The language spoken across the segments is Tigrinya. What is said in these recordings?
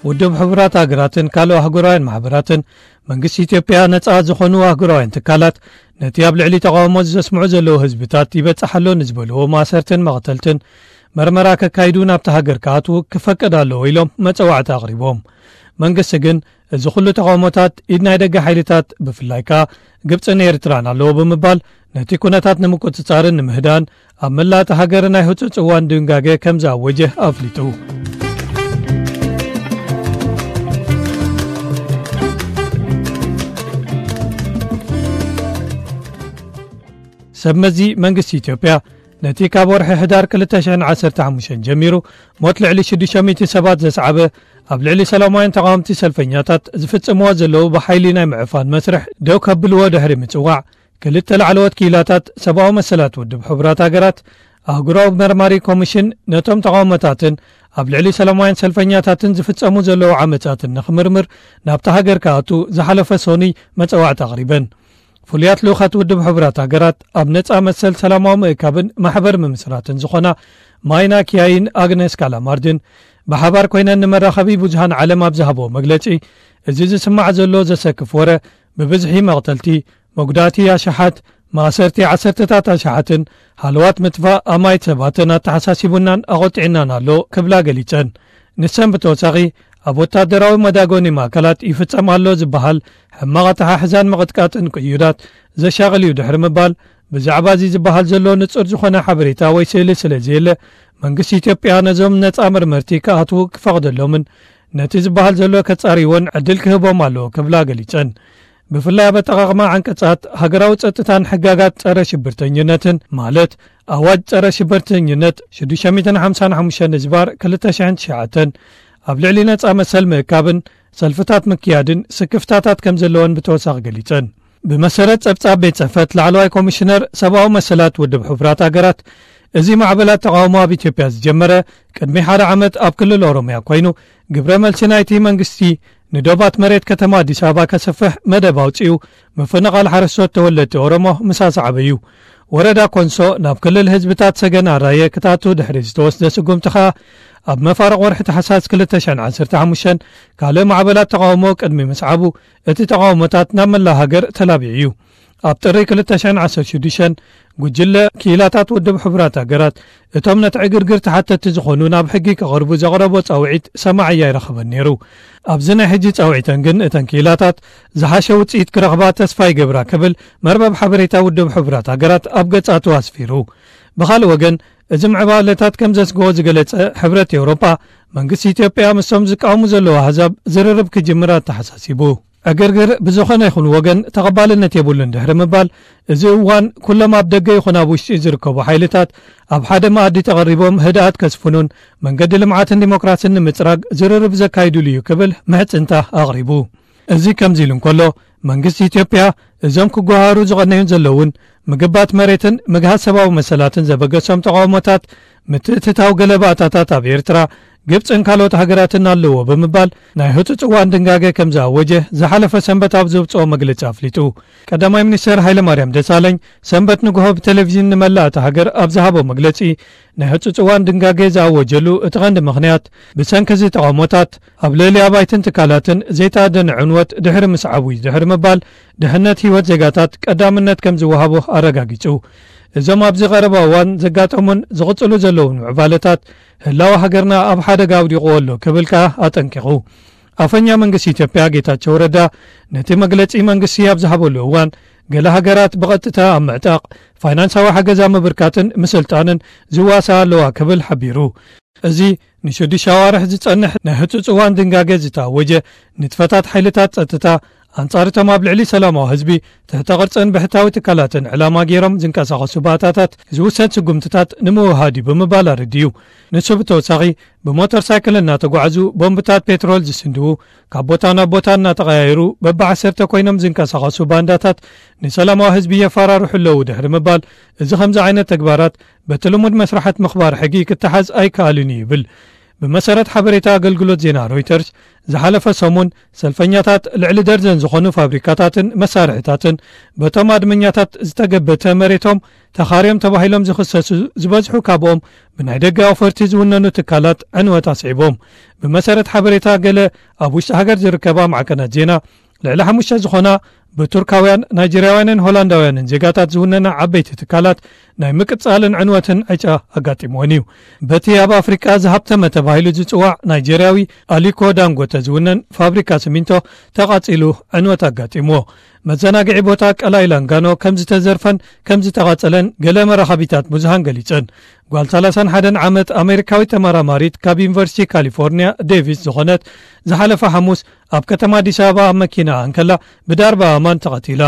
ውድብ ሕቡራት ሃገራትን ካልኦ ኣህጉራውያን ማሕበራትን መንግስቲ ኢትዮጵያ ነጻ ዝኾኑ ኣህጉራውያን ትካላት ነቲ ኣብ ልዕሊ ተቓውሞ ዘስምዑ ዘለዉ ህዝብታት ይበጽሕ ኣሎ ንዝበልዎ ማእሰርትን መቕተልትን መርመራ ከካይዱ ናብቲ ሃገር ክኣትዉ ክፈቅድ ኣለዎ ኢሎም መጸዋዕታ ኣቕሪቦም። መንግስቲ ግን እዚ ኩሉ ተቓውሞታት ኢድ ናይ ደገ ሓይልታት ብፍላይ ከኣ ግብጽን ኤርትራን ኣለዎ ብምባል ነቲ ኩነታት ንምቁጽጻርን ንምህዳን ኣብ መላእ እታ ሃገር ናይ ህጹጽ እዋን ድንጋገ ከም ዝኣወጀ ኣፍሊጡ። ሰብ መዚ መንግስቲ ኢትዮጵያ ነቲ ካብ ወርሒ ሕዳር ክልተ ሽሕን ዓሰርተ ሓሙሽተን ጀሚሩ ሞት ልዕሊ ሽዱሽተ ሚእቲ ሰባት ዘስዓበ ኣብ ልዕሊ ሰላማውያን ተቓወምቲ ሰልፈኛታት ዝፍጽምዎ ዘለዉ ብሓይሊ ናይ ምዕፋን መስርሕ ደው ከብልዎ ድሕሪ ምጽዋዕ ክልተ ላዕለዎት ክኢላታት ሰብኣዊ መሰላት ውድብ ሕቡራት ሃገራት ኣህጉራዊ መርማሪ ኮሚሽን ነቶም ተቓውሞታትን ኣብ ልዕሊ ሰላማውያን ሰልፈኛታትን ዝፍጸሙ ዘለዉ ዓመጻትን ንኽምርምር ናብታ ሃገር ክኣቱ ዝሓለፈ ሶኑይ መጸዋዕታ ኣቕሪበን። ፍሉያት ልኡኻት ውድብ ሕቡራት ሃገራት ኣብ ነጻ መሰል ሰላማዊ ምእካብን ማሕበር ምምስራትን ዝኾና ማይና ኪያይን ኣግነስ ካላማርድን ብሓባር ኮይነን ንመራኸቢ ብዙሃን ዓለም ኣብ ዝሃብዎ መግለጺ፣ እዚ ዝስማዕ ዘሎ ዘሰክፍ ወረ ብብዝሒ መቕተልቲ፣ መጉዳእቲ ኣሽሓት፣ ማእሰርቲ ዓሰርተታት ኣሽሓትን ሃለዋት ምጥፋእ ኣማይት ሰባትን ኣተሓሳሲቡናን ኣቖጢዕናን ኣሎ ክብላ ገሊጸን። ንሰን ብተወሳኺ ኣብ ወታደራዊ መዳጎኒ ማእከላት ይፍጸም ኣሎ ዝበሃል ሕማቕ ኣተሓሕዛን ምቕጥቃጥን ቅዩዳት ዘሻቕል እዩ ድሕሪ ምባል፣ ብዛዕባ እዚ ዝበሃል ዘሎ ንጹር ዝኾነ ሓበሬታ ወይ ስእሊ ስለ ዘየለ፣ መንግስቲ ኢትዮጵያ ነዞም ነጻ መርመርቲ ክኣትዉ ክፈቕደሎምን ነቲ ዝበሃል ዘሎ ከጻርይዎን ዕድል ክህቦም ኣለዎ ክብላ ገሊጸን። ብፍላይ ኣብ ኣጠቓቕማ ዓንቀጻት ሃገራዊ ጸጥታን ሕጋጋት ጸረ ሽብርተኝነትን፣ ማለት ኣዋጅ ጸረ ሽብርተኝነት ሽዱሽተ ሚእትን ሓምሳን ሓሙሽተን ዝባር ክልተ ሽሕን ትሽዓተን ኣብ ልዕሊ ነጻ መሰል ምእካብን ሰልፍታት ምክያድን ስክፍታታት ከም ዘለወን ብተወሳኺ ገሊጸን። ብመሰረት ጸብጻብ ቤት ጽሕፈት ላዕለዋይ ኮሚሽነር ሰብኣዊ መሰላት ውድብ ሕቡራት ሃገራት፣ እዚ ማዕበላት ተቓውሞ ኣብ ኢትዮጵያ ዝጀመረ ቅድሚ ሓደ ዓመት ኣብ ክልል ኦሮምያ ኮይኑ፣ ግብረ መልሲ ናይቲ መንግስቲ ንዶባት መሬት ከተማ ኣዲስ ኣበባ ከስፍሕ መደብ ኣውጺኡ ምፍንቓል ሓረስቶት ተወለድቲ ኦሮሞ ምስ ኣስዓበ እዩ። ወረዳ ኮንሶ ናብ ክልል ህዝብታት ሰገን ኣራየ ክትኣቱ ድሕሪ ዝተወስደ ስጉምቲ ኸኣ፣ ኣብ መፋርቕ ወርሒ ታሕሳስ ክልተ ሽሕን ዓሰርተ ሓሙሽተን ካልእ ማዕበላት ተቓውሞ ቅድሚ ምስዓቡ፣ እቲ ተቓውሞታት ናብ መላእ ሃገር ተላቢዑ እዩ። ኣብ ጥሪ ክልተ ሽሕን ዓሰርተ ሽዱሽተን፣ ጉጅለ ክኢላታት ውድብ ሕቡራት ሃገራት፣ እቶም ነቲ ዕግርግር ተሓተትቲ ዝኾኑ ናብ ሕጊ ክቐርቡ ዘቕረቦ ጻውዒት ሰማዒ ኣይረኸበን ነይሩ። ኣብዚ ናይ ሕጂ ጻውዒተን ግን፣ እተን ክኢላታት ዝሓሸ ውጽኢት ክረኽባ ተስፋ ይገብራ ክብል መርበብ ሓበሬታ ውድብ ሕቡራት ሃገራት ኣብ ገጻቱ ኣስፊሩ። ብኻልእ ወገን፣ እዚ ምዕባለታት ከም ዘስግኦ ዝገለጸ ሕብረት ኤውሮጳ፣ መንግስቲ ኢትዮጵያ ምስቶም ዝቃወሙ ዘለዉ ኣህዛብ ዝርርብ ክጅምር ኣተሓሳሲቡ። ዕግርግር ብዝኾነ ይኹን ወገን ተቐባልነት የብሉን ድሕሪ ምባል፣ እዚ እዋን ኩሎም ኣብ ደገ ይኹን ኣብ ውሽጢ ዝርከቡ ሓይልታት ኣብ ሓደ መኣዲ ተቐሪቦም ህድኣት ከስፍኑን መንገዲ ልምዓትን ዲሞክራስን ንምጽራግ ዝርርብ ዘካይዱሉ እዩ ክብል ምሕጽንታ ኣቕሪቡ። እዚ ከምዚ ኢሉ እንከሎ፣ መንግስቲ ኢትዮጵያ እዞም ክጓሃሩ ዝቐነዩን ዘለውን ምግባት መሬትን ምግሃስ ሰብኣዊ መሰላትን ዘበገሶም ተቓውሞታት ምትእትታው ገለ ባእታታት ኣብ ኤርትራ፣ ግብጽን ካልኦት ሃገራትን ኣለዎ ብምባል ናይ ህጹጽ እዋን ድንጋገ ከም ዝኣወጀ ዝሓለፈ ሰንበት ኣብ ዘውጽኦ መግለጺ ኣፍሊጡ። ቀዳማይ ሚኒስተር ሃይለማርያም ደሳለኝ ሰንበት ንግሆ ብቴሌቪዥን ንመላእ እታ ሃገር ኣብ ዝሃቦ መግለጺ፣ ናይ ህጹጽ እዋን ድንጋገ ዝኣወጀሉ እቲ ቀንዲ ምኽንያት ብሰንኪ እዚ ተቓውሞታት ኣብ ልዕሊ ኣባይትን ትካላትን ዘይተኣደነ ዕንወት ድሕሪ ምስዓቡ እዩ ድሕሪ ምባል፣ ድሕነት ህይወት ዜጋታት ቀዳምነት ከም ዝወሃቦ ኣረጋጊጹ። እዞም ኣብዚ ቀረባ እዋን ዘጋጠሙን ዝቕጽሉ ዘለውን ምዕባለታት ህላወ ሃገርና ኣብ ሓደጋ ኣውዲቕዎ ኣሎ ክብል ከኣ ኣጠንቂቑ። ኣፈኛ መንግስቲ ኢትዮጵያ ጌታቸው ረዳ ነቲ መግለጺ መንግስቲ ኣብ ዝሃበሉ እዋን፣ ገለ ሃገራት ብቐጥታ ኣብ ምዕጣቕ፣ ፋይናንሳዊ ሓገዝ ኣብ ምብርካትን ምስልጣንን ዝዋሳኣ ኣለዋ ክብል ሓቢሩ። እዚ ንሽዱሽተ ኣዋርሕ ዝጸንሕ ናይ ህጹጽ እዋን ድንጋገ ዝተኣወጀ፣ ንጥፈታት ሓይልታት ጸጥታ ኣንጻር እቶም ኣብ ልዕሊ ሰላማዊ ህዝቢ ትሕተ ቅርጽን ብሕታዊ ትካላትን ዕላማ ገይሮም ዝንቀሳቐሱ ባእታታት ዝውሰድ ስጉምትታት ንምውሃድ እዩ ብምባል ኣረዲኡ። ንሱ ብተወሳኺ፣ ብሞተር ሳይክል እናተጓዕዙ ቦምብታት ፔትሮል ዝስንድዉ፣ ካብ ቦታ ናብ ቦታ እናተቐያየሩ በብዓሰርተ ኮይኖም ዝንቀሳቐሱ ባንዳታት ንሰላማዊ ህዝቢ የፈራርሑ ኣለዉ ድሕሪ ምባል፣ እዚ ከምዚ ዓይነት ተግባራት በቲ ልሙድ መስርሓት ምኽባር ሕጊ ክተሓዝ ኣይከኣልን እዩ ይብል። ብመሰረት ሓበሬታ ኣገልግሎት ዜና ሮይተርስ፣ ዝሓለፈ ሰሙን ሰልፈኛታት ልዕሊ ደርዘን ዝኾኑ ፋብሪካታትን መሳርሕታትን በቶም ኣድመኛታት ዝተገበተ መሬቶም ተኻርዮም ተባሂሎም ዝኽሰሱ ዝበዝሑ ካብኦም ብናይ ደገ ኣውፈርቲ ዝውነኑ ትካላት ዕንወት ኣስዒቦም። ብመሰረት ሓበሬታ ገለ ኣብ ውሽጢ ሃገር ዝርከባ ማዕከናት ዜና፣ ልዕሊ ሓሙሽተ ዝኾና ብቱርካውያን፣ ናይጀርያውያንን ሆላንዳውያንን ዜጋታት ዝውነና ዓበይቲ ትካላት ናይ ምቅጻልን ዕንወትን ዕጫ ኣጋጢምወን እዩ። በቲ ኣብ ኣፍሪቃ ዝሃብተመ ተባሂሉ ዝጽዋዕ ናይጀርያዊ ኣሊኮ ዳንጎተ ዝውነን ፋብሪካ ሲሚንቶ ተቓጺሉ ዕንወት ኣጋጢምዎ። መዘናግዒ ቦታ ቀላይ ላንጋኖ ከም ዝተዘርፈን ከም ዝተቓጸለን ገለ መራኸቢታት ብዙሃን ገሊጸን። ጓል ሰላሳን ሓደን ዓመት ኣሜሪካዊት ተመራማሪት ካብ ዩኒቨርሲቲ ካሊፎርኒያ ዴቪስ ዝኾነት፣ ዝሓለፈ ሓሙስ ኣብ ከተማ ኣዲስ ኣበባ ኣብ መኪና እንከላ ብዳርባ ኣማን ተቐቲላ።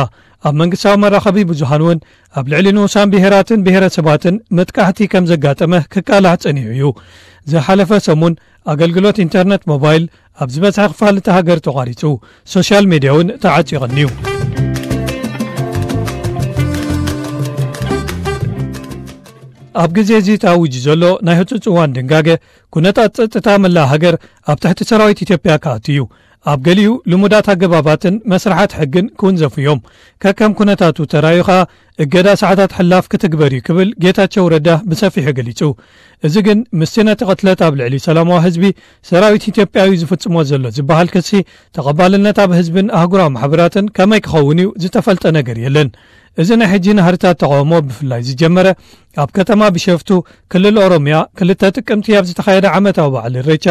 ኣብ መንግስታዊ መራኸቢ ብዙሃን እውን ኣብ ልዕሊ ንኡሳን ብሄራትን ብሄረሰባትን መጥቃዕቲ ከም ዘጋጠመ ክቃላሕ ጸኒሑ እዩ። ዝሓለፈ ሰሙን ኣገልግሎት ኢንተርነት ሞባይል ኣብ ዝበዝሐ ክፋል እቲ ሃገር ተቋሪጹ፣ ሶሻል ሜድያ እውን ተዓጺቑ እዩ። ኣብ ግዜ እዚ ተኣዊጁ ዘሎ ናይ ህጹጽ እዋን ድንጋገ፣ ኩነታት ጸጥታ መላእ ሃገር ኣብ ትሕቲ ሰራዊት ኢትዮጵያ ክኣቱ እዩ። ኣብ ገሊኡ ልሙዳት ኣገባባትን መስርሓት ሕግን ክውንዘፉ እዮም። ከከም ኩነታቱ ተራዩ ኸኣ እገዳ ሰዓታት ሕላፍ ክትግበር እዩ ክብል ጌታቸው ረዳ ብሰፊሑ ገሊጹ። እዚ ግን ምስቲ ነቲ ቅትለት ኣብ ልዕሊ ሰላማዊ ህዝቢ ሰራዊት ኢትዮጵያ እዩ ዝፍጽሞ ዘሎ ዝበሃል ክሲ ተቐባልነት ኣብ ህዝብን ኣህጉራዊ ማሕበራትን ከመይ ክኸውን እዩ ዝተፈልጠ ነገር የለን። እዚ ናይ ሕጂ ናህርታት ተቃውሞ ብፍላይ ዝጀመረ ኣብ ከተማ ቢሸፍቱ ክልል ኦሮሚያ ክልተ ጥቅምቲ ኣብ ዝተኻየደ ዓመታዊ በዓል ኢሬቻ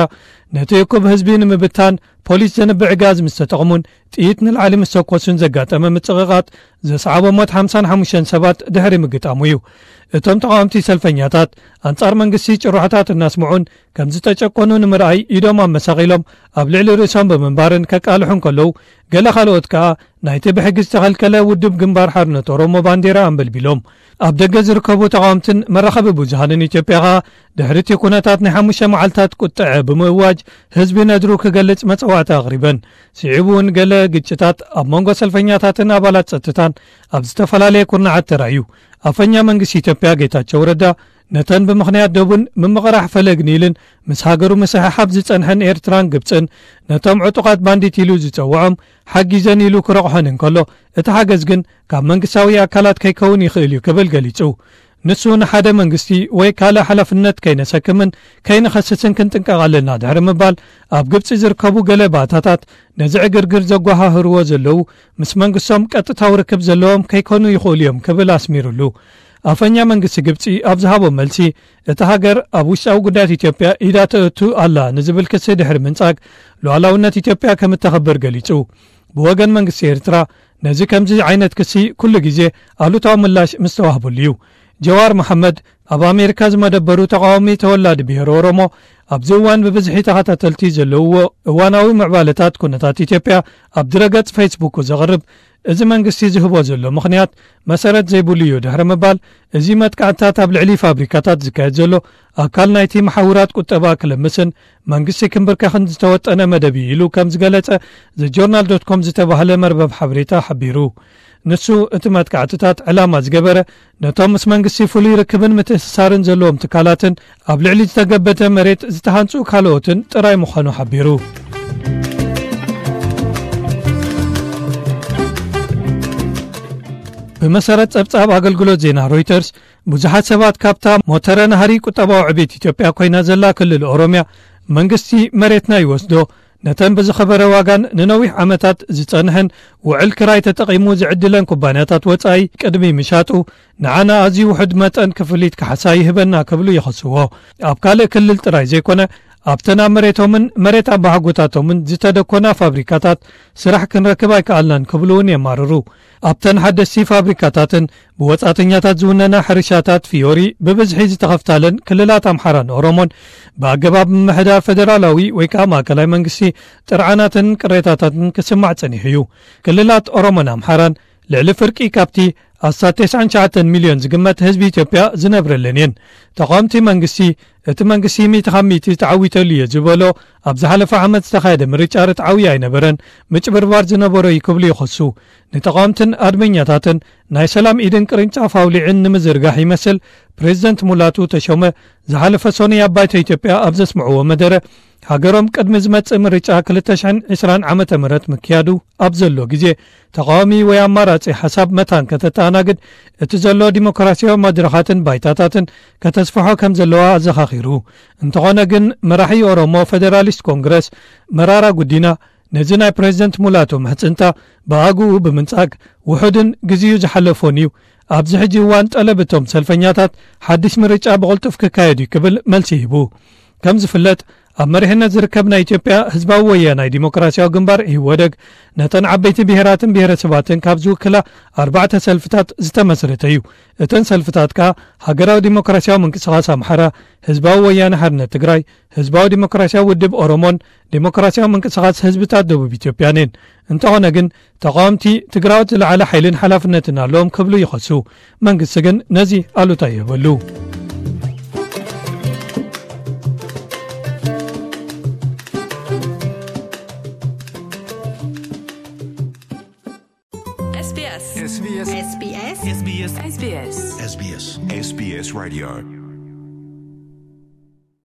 ነቲ እኩብ ህዝቢ ንምብታን ፖሊስ ዘንብዕ ጋዝ ምስ ተጠቕሙን ጥይት ንላዕሊ ምስ ተኮሱን ዘጋጠመ ምጽቕቓጥ ዘስዓቦ ሞት ሓምሳን ሓሙሽተን ሰባት ድሕሪ ምግጣሙ እዩ። እቶም ተቓወምቲ ሰልፈኛታት ኣንጻር መንግስቲ ጭርሖታት እናስምዑን ከም ዝተጨቆኑ ንምርኣይ ኢዶም ኣመሳቒሎም ኣብ ልዕሊ ርእሶም ብምንባርን ከቃልሑ እንከለዉ፣ ገለ ካልኦት ከኣ ናይቲ ብሕጊ ዝተኸልከለ ውድብ ግንባር ሓርነት ኦሮሞ ባንዴራ ኣንበልቢሎም። ኣብ ደገ ዝርከቡ ተቓወምትን መራኸቢ ብዙሃንን ኢትዮጵያ ከኣ ድሕሪ እቲ ኩነታት ናይ ሓሙሽተ መዓልታት ቁጥዐ ብምእዋጅ ህዝቢ ነድሩ ክገልጽ መጸዋዕታ ኣቕሪበን። ስዒቡ እውን ገለ ግጭታት ኣብ መንጎ ሰልፈኛታትን ኣባላት ጸጥታን ኣብ ዝተፈላለየ ኩርናዓት ተራእዩ። ኣፈኛ መንግስቲ ኢትዮጵያ ጌታቸው ረዳ ነተን ብምኽንያት ደቡን ምምቕራሕ ፈለግ ኒልን ምስ ሃገሩ ምስሕሓብ ዝጸንሐን ኤርትራን ግብጽን ነቶም ዕጡቓት ባንዲት ኢሉ ዝጸውዖም ሓጊዘን ኢሉ ክረቑሐን እንከሎ፣ እቲ ሓገዝ ግን ካብ መንግስታዊ ኣካላት ከይከውን ይኽእል እዩ ክብል ገሊጹ። ንሱ ንሓደ መንግስቲ ወይ ካልእ ሓላፍነት ከይነሰክምን ከይንኸስስን ክንጥንቀቕ ኣለና ድሕሪ ምባል፣ ኣብ ግብጺ ዝርከቡ ገለ ባእታታት ነዚ ዕግርግር ዘጓሃህርዎ ዘለዉ ምስ መንግስቶም ቀጥታዊ ርክብ ዘለዎም ከይኮኑ ይኽእሉ እዮም ክብል ኣስሚሩሉ። ኣፈኛ መንግስቲ ግብጺ ኣብ ዝሃቦ መልሲ፣ እታ ሃገር ኣብ ውሽጣዊ ጉዳያት ኢትዮጵያ ኢዳ ተእቱ ኣላ ንዝብል ክሲ ድሕሪ ምንጻግ፣ ሉዓላውነት ኢትዮጵያ ከም እተኽብር ገሊጹ። ብወገን መንግስቲ ኤርትራ፣ ነዚ ከምዚ ዓይነት ክሲ ኩሉ ግዜ ኣሉታዊ ምላሽ ምስ ተዋህበሉ እዩ። ጀዋር መሓመድ፣ ኣብ ኣሜሪካ ዝመደበሩ ተቃዋሚ ተወላዲ ብሄር ኦሮሞ፣ ኣብዚ እዋን ብብዝሒ ተኸታተልቲ ዘለውዎ እዋናዊ ምዕባለታት ኩነታት ኢትዮጵያ ኣብ ድረገጽ ፌስቡኩ ዘቕርብ፣ እዚ መንግስቲ ዝህቦ ዘሎ ምኽንያት መሰረት ዘይብሉ እዩ ድሕሪ ምባል፣ እዚ መጥቃዕትታት ኣብ ልዕሊ ፋብሪካታት ዝካየድ ዘሎ ኣካል ናይቲ መሓውራት ቁጠባ ክልምስን መንግስቲ ክንብርከኽን ዝተወጠነ መደብ እዩ ኢሉ ከም ዝገለጸ ዘጆርናል ዶት ኮም ዝተባህለ መርበብ ሓበሬታ ሓቢሩ። ንሱ እቲ መጥቃዕትታት ዕላማ ዝገበረ ነቶም ምስ መንግስቲ ፍሉይ ርክብን ምትእስሳርን ዘለዎም ትካላትን ኣብ ልዕሊ ዝተገበተ መሬት ዝተሃንጹ ካልኦትን ጥራይ ምዃኑ ሓቢሩ። ብመሰረት ጸብጻብ ኣገልግሎት ዜና ሮይተርስ፣ ብዙሓት ሰባት ካብታ ሞተረ ናህሪ ቁጠባዊ ዕቤት ኢትዮጵያ ኮይና ዘላ ክልል ኦሮሚያ መንግስቲ መሬትና ይወስዶ፣ ነተን ብዝኸበረ ዋጋን ንነዊሕ ዓመታት ዝጸንሐን ውዕል ክራይ ተጠቒሙ ዝዕድለን ኩባንያታት ወጻኢ ቅድሚ ምሻጡ ንዓና ኣዝዩ ውሑድ መጠን ክፍሊት ካሕሳ ይህበና ክብሉ ይኸስዎ። ኣብ ካልእ ክልል ጥራይ ዘይኮነ ኣብተን ኣብ መሬቶምን መሬት ኣባሓጎታቶምን ዝተደኮና ፋብሪካታት ስራሕ ክንረክብ ኣይከኣልናን ክብሉ እውን የማርሩ። ኣብተን ሓደስቲ ፋብሪካታትን ብወጻእተኛታት ዝውነና ሕርሻታት ፍዮሪ ብብዝሒ ዝተኸፍታለን ክልላት ኣምሓራን ኦሮሞን ብኣገባብ ምምሕዳር ፈደራላዊ ወይ ከዓ ማእከላይ መንግስቲ ጥርዓናትን ቅሬታታትን ክስማዕ ጸኒሑ እዩ። ክልላት ኦሮሞን ኣምሓራን ልዕሊ ፍርቂ ካብቲ ኣስታት ተስዓን ትሽዓተን ሚልዮን ዝግመት ህዝቢ ኢትዮጵያ ዝነብረለን እየን። ተቓወምቲ መንግስቲ፣ እቲ መንግስቲ ሚእቲ ካብ ሚእቲ ተዓዊተሉ እየ ዝበሎ ኣብ ዝሓለፈ ዓመት ዝተኻየደ ምርጫ ርትዓዊ ኣይነበረን፣ ምጭብርባር ዝነበሮ እዩ ክብሉ ይኸሱ። ንተቓወምትን ኣድመኛታትን ናይ ሰላም ኢድን ቅርንጫፍ ኣውሊዕን ንምዝርጋሕ ይመስል፣ ፕሬዚደንት ሙላቱ ተሾመ ዝሓለፈ ሰኑይ ኣብ ባይቶ ኢትዮጵያ ኣብ ዘስምዕዎ መደረ፣ ሃገሮም ቅድሚ ዝመጽእ ምርጫ ክልተ ሽሕን ዕስራን ዓመተ ምህረት ምክያዱ ኣብ ዘሎ ግዜ፣ ተቓዋሚ ወይ ኣማራጺ ሓሳብ መታን ከተተኣናግድ፣ እቲ ዘሎ ዲሞክራሲያዊ መድረኻትን ባይታታትን ከተስፍሖ ከም ዘለዋ ኣዘኻኺሩ። እንተኾነ ግን፣ መራሒ ኦሮሞ ፌደራሊስት ኮንግረስ መራራ ጉዲና፣ ነዚ ናይ ፕሬዚደንት ሙላቱ ምሕጽንታ ብኣግኡ ብምንጻግ፣ ውሑድን ግዜኡ ዝሓለፎን እዩ። ኣብዚ ሕጂ እዋን፣ ጠለብ እቶም ሰልፈኛታት ሓድሽ ምርጫ ብቕልጡፍ ክካየድ እዩ ክብል መልሲ ሂቡ። ከም ዝፍለጥ፣ ኣብ መሪሕነት ዝርከብ ናይ ኢትዮጵያ ህዝባዊ ወያናይ ዲሞክራሲያዊ ግንባር፣ ኢህወደግ፣ ነተን ዓበይቲ ብሄራትን ብሄረሰባትን ካብ ዝውክላ ኣርባዕተ ሰልፍታት ዝተመስረተ እዩ። እተን ሰልፍታት ከኣ ሃገራዊ ዲሞክራሲያዊ ምንቅስቓስ ኣምሓራ፣ ህዝባዊ ወያነ ሓርነት ትግራይ፣ ህዝባዊ ዲሞክራሲያዊ ውድብ ኦሮሞን ዲሞክራሲያዊ ምንቅስቓስ ህዝብታት ደቡብ ኢትዮጵያን እየን። እንተኾነ ግን፣ ተቓወምቲ ትግራዎት ዝለዓለ ሓይልን ሓላፍነትን ኣለዎም ክብሉ ይኸሱ። መንግስቲ ግን ነዚ ኣሉታ ይህበሉ። SBS SBS SBS SBS SBS SBS Radio